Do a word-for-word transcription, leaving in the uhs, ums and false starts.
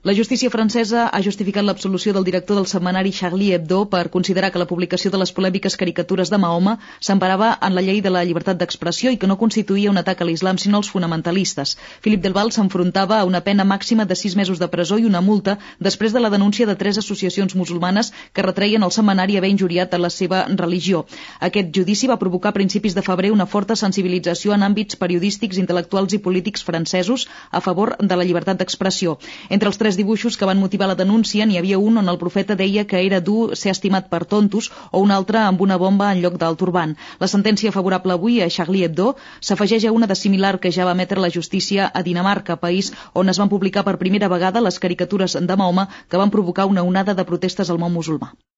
La justícia francesa ha justificat l'absolució del director del setmanari Charlie Hebdo per considerar que la publicació de les polèmiques caricatures de Mahoma s'emparava en la llei de la llibertat d'expressió i que no constituïa un atac a l'islam sinó als fonamentalistes. Philippe Delval s'enfrontava a una pena màxima de sis mesos de presó i una multa després de la denúncia de tres associacions musulmanes que retreien al setmanari haver injuriat a la seva religió. Aquest judici va provocar a principis de febrer una forta sensibilització en àmbits periodístics, intel·lectuals i polítics francesos a favor de la llibertat d'expressió. Entre els tres dibuixos que van motivar la denúncia n'hi havia un on el profeta deia que era dur ser estimat per tontos o un altre amb una bomba en lloc del turbant. La sentència favorable avui a Charlie Hebdo s'afegeix a una de similar que ja va emetre la justícia a Dinamarca, país on es van publicar per primera vegada les caricatures de Mahoma que van provocar una onada de protestes al món musulmà.